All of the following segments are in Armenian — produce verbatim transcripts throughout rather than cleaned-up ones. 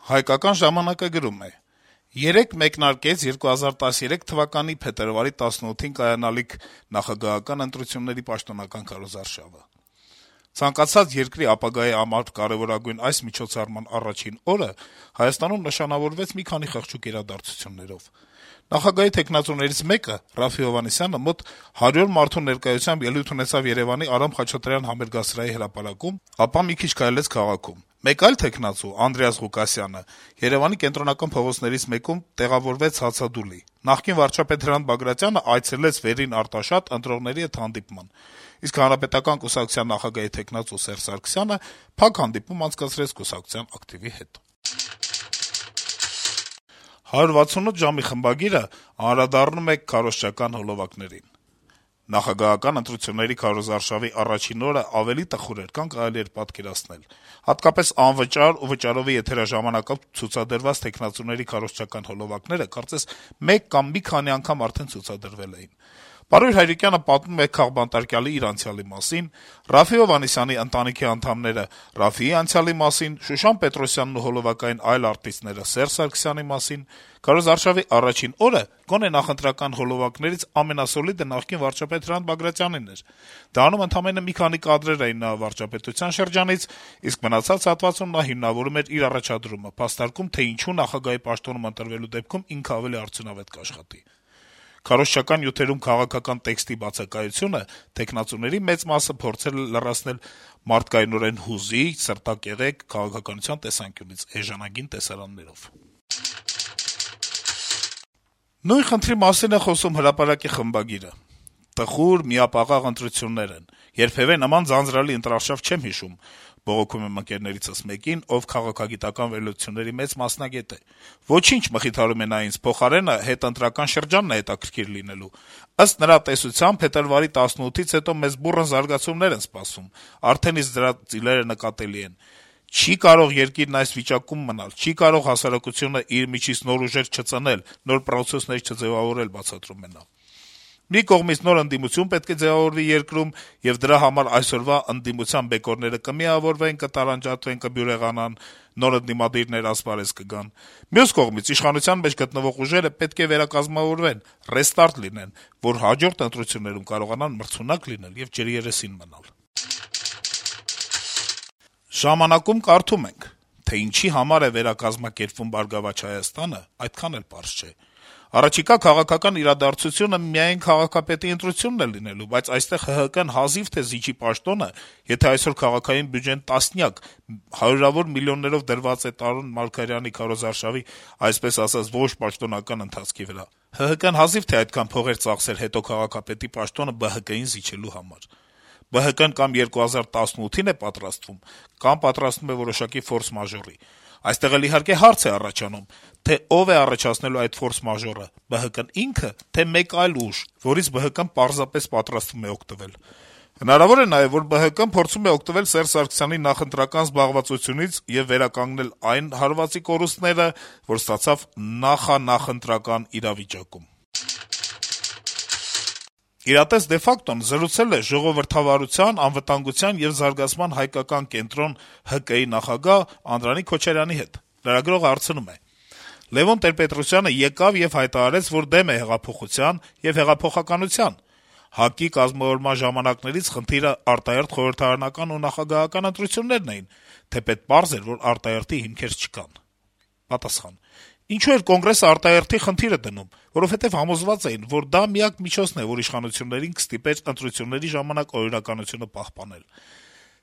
Հայկական ժամանակը գրում է. - «Երեկ մեկնարկեց երկու հազար տասներեք թվականի փետրվարի տասնութին կայանալիք նախագահական ընտրությունների պաշտոնական քարոզարշավը: Ցանկացած երկրի ապագայի համար կարեւորագույն այս միջոցառման առաջին օրը Հայաստանում նշանավորվեց մի քանի խղճուկ իրադարձություններով: Նախագահի թեկնածուներից մեկը` Րաֆֆի Հովհաննիսյանը, մոտ հարյուր մարդու ներկայությամբ ելույթ ունեցավ Երեւանի Արամ Խաչատրյան համերգասրահի հրապարակում, ապա մի քիչ քայլեց քաղաքում: Մեկ այլ թեկնածու` Անդրեաս Ղուկասյանը, Երեւանի կենտրոնական փողոցներից մեկում տեղավորվեց հացադուլի: Նախկին վարչապետ Հրանտ Բագրատյանը այցելեց Վերին Արտաշատ` ընտրողների հետ հանդիպման, իսկ Հանրապետական կուսակցության նախագահի թեկնածու Սերժ Սարգսյանը փակ հանդիպում անցկացրեց կուսակցության ակտիվի հետ»: «հարյուր վաթսունութ ժամ»-ի խմբագիրը անդրադառնում է քարոզչական հոլովակներին. - «Նախագահական ընտրությունների քարոզարշավի առաջին օրը ավելի տխուր էր, քան կարելի էր պատկերացնել: Հատկապես անվճար ու վճարովի եթերաժամանակով ցուցադրված թեկնածուների քարոզչական հոլովակները կարծես մեկ կամ մի քանի անգամ արդեն ցուցադրվել էին: Պարույր Հայրիկյանը պատմում է քաղբանտարկյալի իր անցյալի մասին, Րաֆֆի Հովհաննիսյանի ընտանիքի անդամները Րաֆֆիի անցյալի մասին, Շուշան Պետրոսյանն ու հոլովակային այլ արտիստները Սերժ Սարգսյանի մասին: Քարոզարշավի առաջին օրը գոնե նախընտրական հոլովակներից ամենասոլիդը նախկին վարչապետ Հրանտ Բագրատյանն էր: Դրանում ընդամենը մի քանի կադրեր էին նրա վարչապետության շրջանից, իսկ մնացած հատվածում նա հիմնավորում էր իր առաջադրումը, փաստարկում, թե ինչու նախագահի պաշտոնում ընտրվելու դեպքում ինքը ավելի արդյունավետ կաշխատի: Քարոզչական նյութերում քաղաքական տեքստի բացակայությունը թեկնածուների մեծ մասը փորձել է լրացնել մարդկայնորեն հուզիչ, սրտակեղեկ, քաղաքականության տեսանկյունից էժանագին տեսարաններով»: Նույն խնդրի մասին է խոսում «Հրապարակ»-ի խմբագիրը. - «Տխուր, միապաղաղ ընտրություններ են: Երբեւէ նման ձանձրալի ընտրարշավ չեմ հիշում», - բողոքում եմ ընկերներիցս մեկին, ով քաղաքագիտական վերլուծությունների մեծ մասնագետ է: «Ոչինչ», - մխիթարում է նա ինձ, - «փոխարենը հետընտրական շրջանն է հետաքրքիր լինելու: Ըստ նրա տեսության, փետրվարի տասնութից հետո մեզ բուռն զարգացումներ են սպասում: Արդեն իսկ դրա ծիլերը նկատելի են: Չի կարող երկիրն այս վիճակում մնալ, չի կարող հասարակությունը իր միջից նոր ուժեր չծնել, նոր պրոցեսներ չձեւավորել», - բացատրում է նա: Մի կողմից նոր ընդդիմություն պետք է ձեւավորվի երկրում, եւ դրա համար այսօրվա ընդդիմության բեկորները կմիավորվեն, կտարանջատվեն, կբյուրեղանան, նոր ընդդիմադիրներ ասպարեզ կգան: Մյուս կողմից իշխանության մեջ գտնվող ուժերը պետք է վերակազմավորվեն, ռեստարտ լինեն, որ հաջորդ ընտրություններում կարողանան մրցունակ լինել եւ ջրերեսին մնալ»: «Ժամանակ»-ում կարդում ենք. - «Թե ինչի համար է վերակազմակերպվում «Բարգավաճ Հայաստանը», այդքան էլ պարզ չէ: Առաջիկա քաղաքական իրադարձությունը միայն քաղաքապետի ընտրությունն է լինելու, բայց այստեղ ՀՀԿ-ն հազիվ թե զիջի պաշտոնը, եթե այսօր քաղաքային բյուջեն տասնյակ, հարյուրավոր միլիոններով դրված է Տարոն Մարգարյանի քարոզարշավի, այսպես ասած, ոչ պաշտոնական ընթացքի վրա: ՀՀԿ-ն հազիվ թե այդքան փող էր ծախսել հետո քաղաքապետի պաշտոնը ԲՀԿ-ին զիջելու համար: ԲՀԿ-ն կամ երկու հազար տասնութին է պատրաստվում, կամ պատրաստվում է որոշակի ֆորս-մաժորի: Այստեղ էլ, իհարկե, հարց է առաջանում, թե ով է առաջացնելու այդ ֆորս-մաժորը` ԲՀԿ-ն ինքը, թե մեկ այլ ուժ, որից ԲՀԿ-ն պարզապես պատրաստվում է օգտվել: Հնարավոր է նաեւ, որ ԲՀԿ-ն փորձում է օգտվել Սերժ Սարգսյանի նախընտրական զբաղվածությունից եւ վերականգնել այն հարվածի կորուստները, որ ստացավ նախանախընտրական իրավիճակում»: Իրատես de facto-ն զրուցել է «Ժողովրդավարության, անվտանգության եւ զարգացման հայկական կենտրոն» ՀԿ-ի նախագահ Անդրանիկ Քոչարյանի հետ: Լրագրողը հարցնում է. - «Լեւոն Տեր-Պետրոսյանը եկավ եւ հայտարարեց, որ դեմ է հեղափոխության եւ հեղափոխականության: ՀԱԿ-ի կազմավորման ժամանակներից խնդիրը արտահերթ խորհրդարանական ու նախագահական ընտրություններն էին, թեպետ պարզ էր, որ արտահերթի հիմքեր չկան»: Պատասխան. - «Ինչո՞ւ էր Կոնգրեսը արտահերթի խնդիրը դնում: Որովհետեւ համոզված էին, որ դա միակ միջոցն է, որ իշխանություններին կստիպեր ընտրությունների ժամանակ օրինականությունը պահպանել: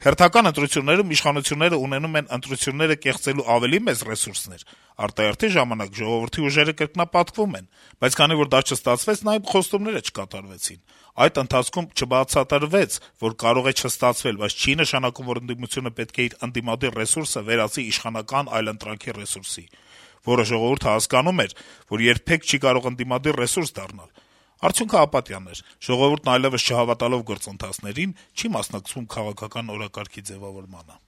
Հերթական ընտրություններում իշխանությունները ունենում են ընտրությունները կեղծելու ավելի մեծ ռեսուրսներ, արտահերթի ժամանակ ժողովրդի ուժերը կրկնապատկվում են: Բայց քանի որ դա չստացվեց, նաեւ խոստումները չկատարվեցին: Այդ ընթացքում չբացատրվեց, որ կարող է չստացվել, բայց չի նշանակում, որ ընդդիմությունը պետք է իր ընդդիմադիր ռեսուրսը վերածի իշխանական այլընտրանքի ռեսուրսի, որը ժողովուրդը հասկանում էր, որ երբեք չի կարող ընդդիմադիր ռեսուրս դառնալ: Արդյունքն ապատյան էր: Ժողովուրդն այլեւս չհավատալով գործընթացներին, չի մասնակցում քաղաքական օրակարգի ձեւավորմանը»: